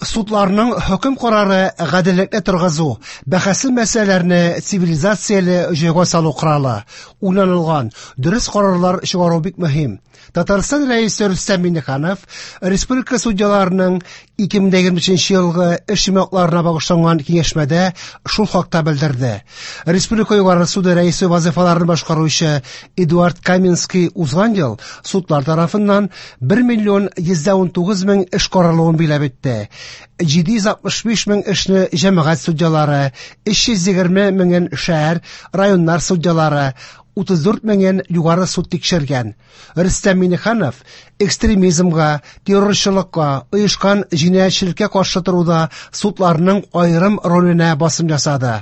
Судларның хөкем карары гаделлекне торгызу, бәхәсле мәсьәләләрне цивилизацияле җайга салу коралы. Уйланылган, дөрес карарлар чыгару бик мөһим. Татарстан Рәисе Рөстәм Миңнеханов республика судьяларының 2023 елгы эш йомгакларына багышланган киңәшмәдә шул хакта белдерде. Республика Югары суды рәисе вазифаларын башкаручы Эдуард Каменский узган ел судлар тарафыннан 1 миллион 119 мең эш каралуын биләп итте. 765 мең эшне җәмәгать судьялары, 320 меңен шәһәр, районнар судьялары, 34 меңен югары суд тикшергән. Рөстәм Миңнеханов экстремизмга, террорчылыкка, оешкан җинаятьчелеккә каршы торуда судларның аерым роленә басым ясады.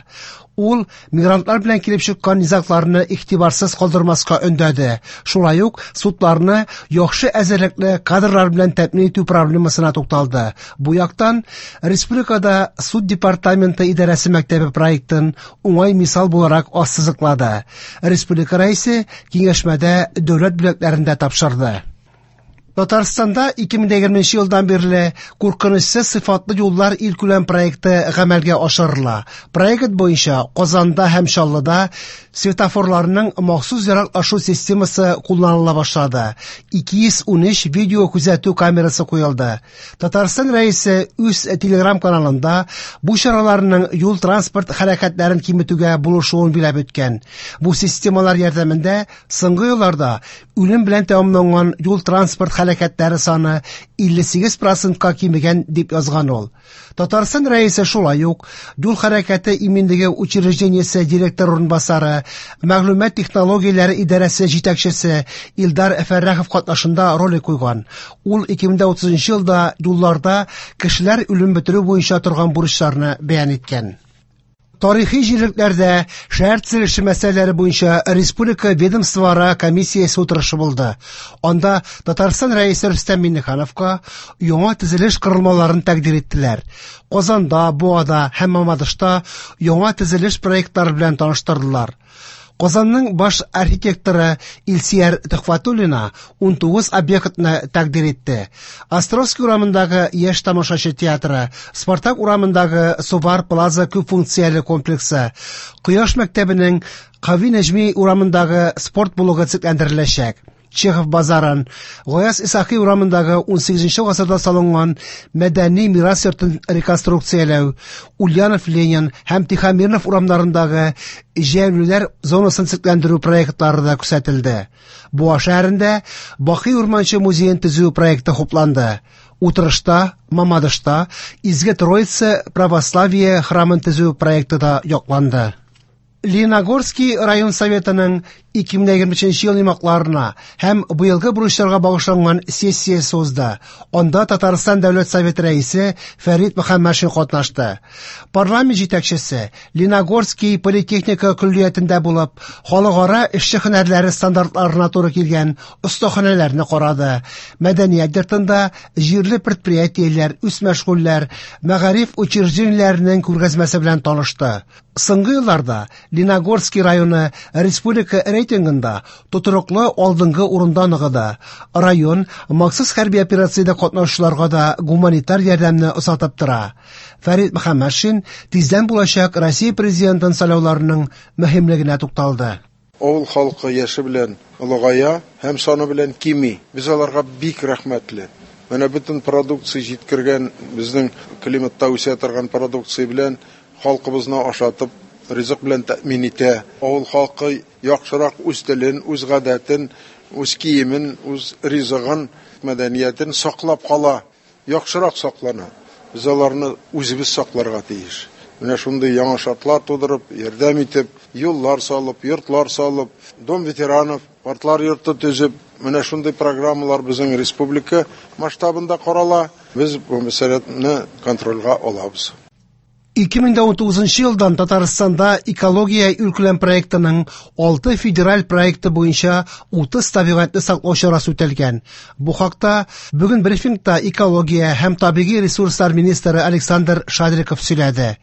Ул мигрантлар белән килеп чыккан низагларны игътибарсыз калдырмаска өндәде. Шулай ук судларны яхшы әзерлекле кадрлар белән тәэмин итү проблемасына тукталды. Бу яктан республикада суд департаменты идарәсе мәктәбе проектын уңай мисал буларак ассызыклады. Республика рәисе киңәшмәдә дәүләт бүләкләрен дә тапшырды. Татарстанда 2020 елдан бирле куркынычсыз сыйфатлы юллар илкүләм проекты гамәлгә ашырыла. Проект буенча Казанда һәм Чаллыда светофорларның махсус яраклашу системасы кулланыла башлады. 213 видео күзәтү камерасы куелды. Татарстан Рәисе үз телеграм-каналында бу чараларның юл-транспорт хәрәкәтләрен киметүгә булышуын биләп үткән. Бу системалар ярдәмендә соңгы елларда үлем белән тәмамланган юл-транспорт хәрәкәтләре саны 58%-ка кимегән дип язган ул. Татарстан Рәисе шулай ук юл хәрәкәте иминлеге учреждениесе директор урынбасары, мәгълүмат технологияләре идарәсе җитәкчесе Илдар Фәррахов катнашында ролик куйган. Ул 2030 елда юлларда кешеләр үлем бетерү буенча торган бурычларны бәян иткән. Тарихи җирлекләрдә шәһәр төзелеше мәсьәләләре буенча республика ведомствоара комиссиясе утырышы булды. Анда Татарстан Рәисе Рөстәм Миңнехановка яңа төзелеш корылмаларын тәкъдир иттеләр. Казанда, Буада һәм Мамадышта яңа төзелеш проектлары белән таныштырдылар. Казанның баш архитекторы Илсияр Төхвәтуллина 19 объектны тәкъдир итте. Островский урамындагы Яшь тамашачы театры, Спартак урамындагы Сувар Плаза күп функцияле комплексы, Кояш мәктәбенең Кави Нәҗми урамындагы спорт блогы төзекләндереләчәк. Чехов базарын, Гаяз Исхакый урамындагы 18 гасырда салынган мәдәни мирас йортын реконструкцияләү, Ульянов Ленин һәм Тихомирнов урамнарындагы җәяүлеләр зонасын төзекләндерү проектлары да күрсәтелде. Буа шәһәрендә Бакый Урманчы музеен төзү проекты хупланды. Утырышта Мамадышта Изге Троица православие храмын төзү проекты да якланды. Лениногорский район советының 2023 ел йомгакларына һәм быелгы бурычларга багышланган сессиясе узды. Анда Татарстан Дәүләт Советы рәисе Фәрит Мөхәммәтшин катнашты. Парламент җитәкчесе Лениногорский политехника көллиятендә булып, халыкара эшче һөнәрләре стандартларына туры килгән остаханәләрне карады. Мәдәният йортында җирле предприятиеләр, үзмәшгульләр, мәгариф учреждениеләренең күргәзмәсе белән танышты. Соңгы елларда Лениногорский районы республика рейтингында тотрыклы алдынгы урында ныгыды. Район махсус хәрби операциядә катнашучыларга да гуманитар ярдәмне озатып тора. Фәрит Мөхәммәтшин тиздән булачак Россия президентын сайлауларының мөһимлегенә тукталды. Авыл халкы яше белән олыгая һәм саны белән кими. Без аларга бик рәхмәтле. Менә бөтен продукция җиткергән, безнең климатта үсә торган продукция белән халкыбызны ашатып, ризык белән тәэмин итә. Авыл халкы яхшырак үз телен, үз гадәтен, үз киемен, үз ризыгын, мәдәниятен саклап кала, яхшырак саклана. Без аларны үзебез сакларга тиеш. Менә шундый яңа шартлар тудырып, ярдәм итеп, юллар салып, йортлар салып, дом ветеранов, картлар йорты төзеп, менә шундый программалар безнең республика масштабында карала. Без бу мәсьәләне контрольгә алабыз. 2019 елдан Татарстанда экология илкүләм проектының 6 федераль проекты буенча 30 табигатьне саклау чарасы үтәлгән. Бу хакта бүген брифингта экология һәм табигый ресурслар министры Александр Шадриков сөйләде.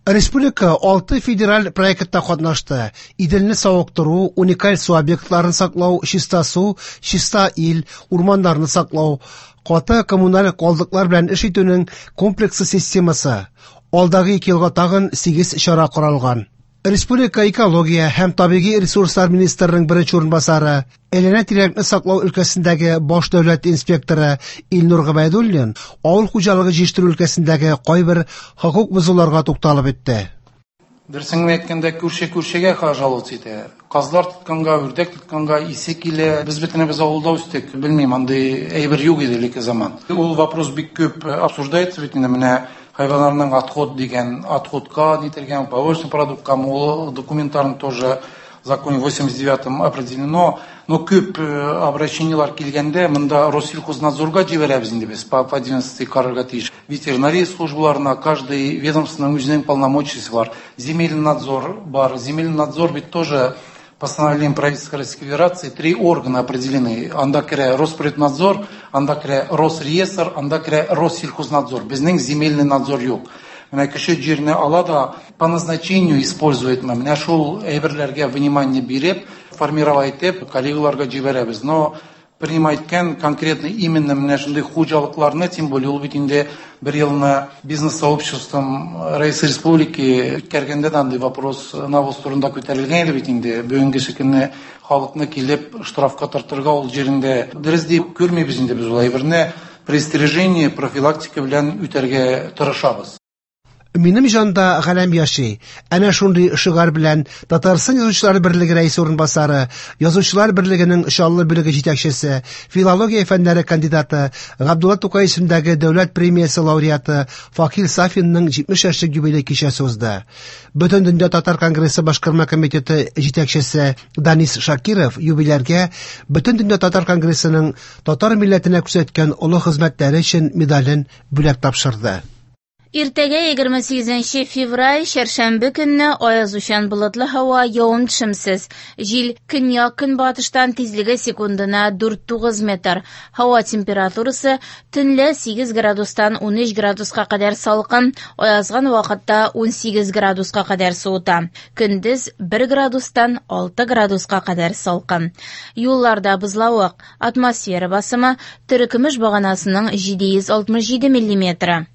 Республика 6 федераль проектта катнашты. Иделне савыктыру, уникаль су объектларын саклау, чиста су, чиста ил, урманнарны саклау, Каты коммуналь калдыклар белән эш итүнең комплекслы системасы. Алдагы 2 елга тагын 8 чара каралган. Республика экология һәм табигый ресурслар министрының беренче урынбасары, әйләнә-тирәлекне саклау өлкәсендәге баш дәүләт инспекторы Илнур Гобәйдуллин авыл хуҗалыгы җитештерү өлкәсендәге кайбер хокук бозуларга тукталып үтте. Дөресен генә әйткәндә, күрше күршегә жаловаться итә. Казлар тотканга, үрдәк тотканга исе килә. Без бөтенебез авылда үстек. Белмим, андый әйбер юк иде элекке заман. Ул вопрос бик күп обсуждается бит инде, менә хайваннарның отход дигән, отходка нителгән, побочный продуктка, ул документларын тоже в законе 89-м определено. Но күп обращениелар килгәндә, монда Россельхознадзорга җибәрәбез инде без, по 11 карарга тиеш. Ветеринария службаларына, каждый ведомствоның үзенең полномочиясе бар. Земельный надзор бар. Земельный надзор ведь тоже постановлением правительства Российской Федерации 3 органа определены. Анда керә Росприроднадзор, анда керә Росреестр, анда керә Россельхознадзор. Безнең земельный надзор юк. Менә кеше җирне ала да по назначению использует. Менә шул әйберләргә внимание биреп, формировать итеп, коллегаларга җибәрәбез. Но принимать иткән конкретно именно менә шундый хуҗалыкларны, тем более ул бит инде бер елны бизнес-сообществом Рәис Республики үткәргәндә дә андый вопрос навоз турында күтәрелгән иде бит инде. Бүгенге көнне халыкны килеп штрафка тартырга ул җирендә дөрес дип күрмибез инде без ул әйберне. Предостережение, профилактика белән үтәргә тырышабыз. Минем җанда галәм яши. Әнә шундый шигарь белән Татарстан Язучылар берлеге рәисе урынбасары, Язучылар берлегенең Чаллы бүлеге җитәкчесе, филология фәннәре кандидаты, Габдулла Тукай исемендәге дәүләт премиясе лауреаты Факил Сафинның 70 яшьлек юбилей кичәсе узды. Бөтендөнья татар конгрессы башкарма комитеты җитәкчесе Данис Шакиров юбиляргә Бөтендөнья татар конгрессының татар милләтенә күрсәткән олы хезмәтләре өчен медален бүләк тапшырды. Иртәгә 28 февраль, чәршәмбе көнне аязучан болытлы һава, явым-төшемсез. Җил көньяк-көнбатыштан, тизлеге секундына 4,9 метр. Һава температурасы төнлә 8 градустан 13 градуска кадәр салкын, аязган вакытта 18 градуска кадәр суыта. Көндез 1 градустан 6 градуска кадәр салкын. Юлларда бозлавык, атмосфера басымы терекөмеш баганасының 767 миллиметры.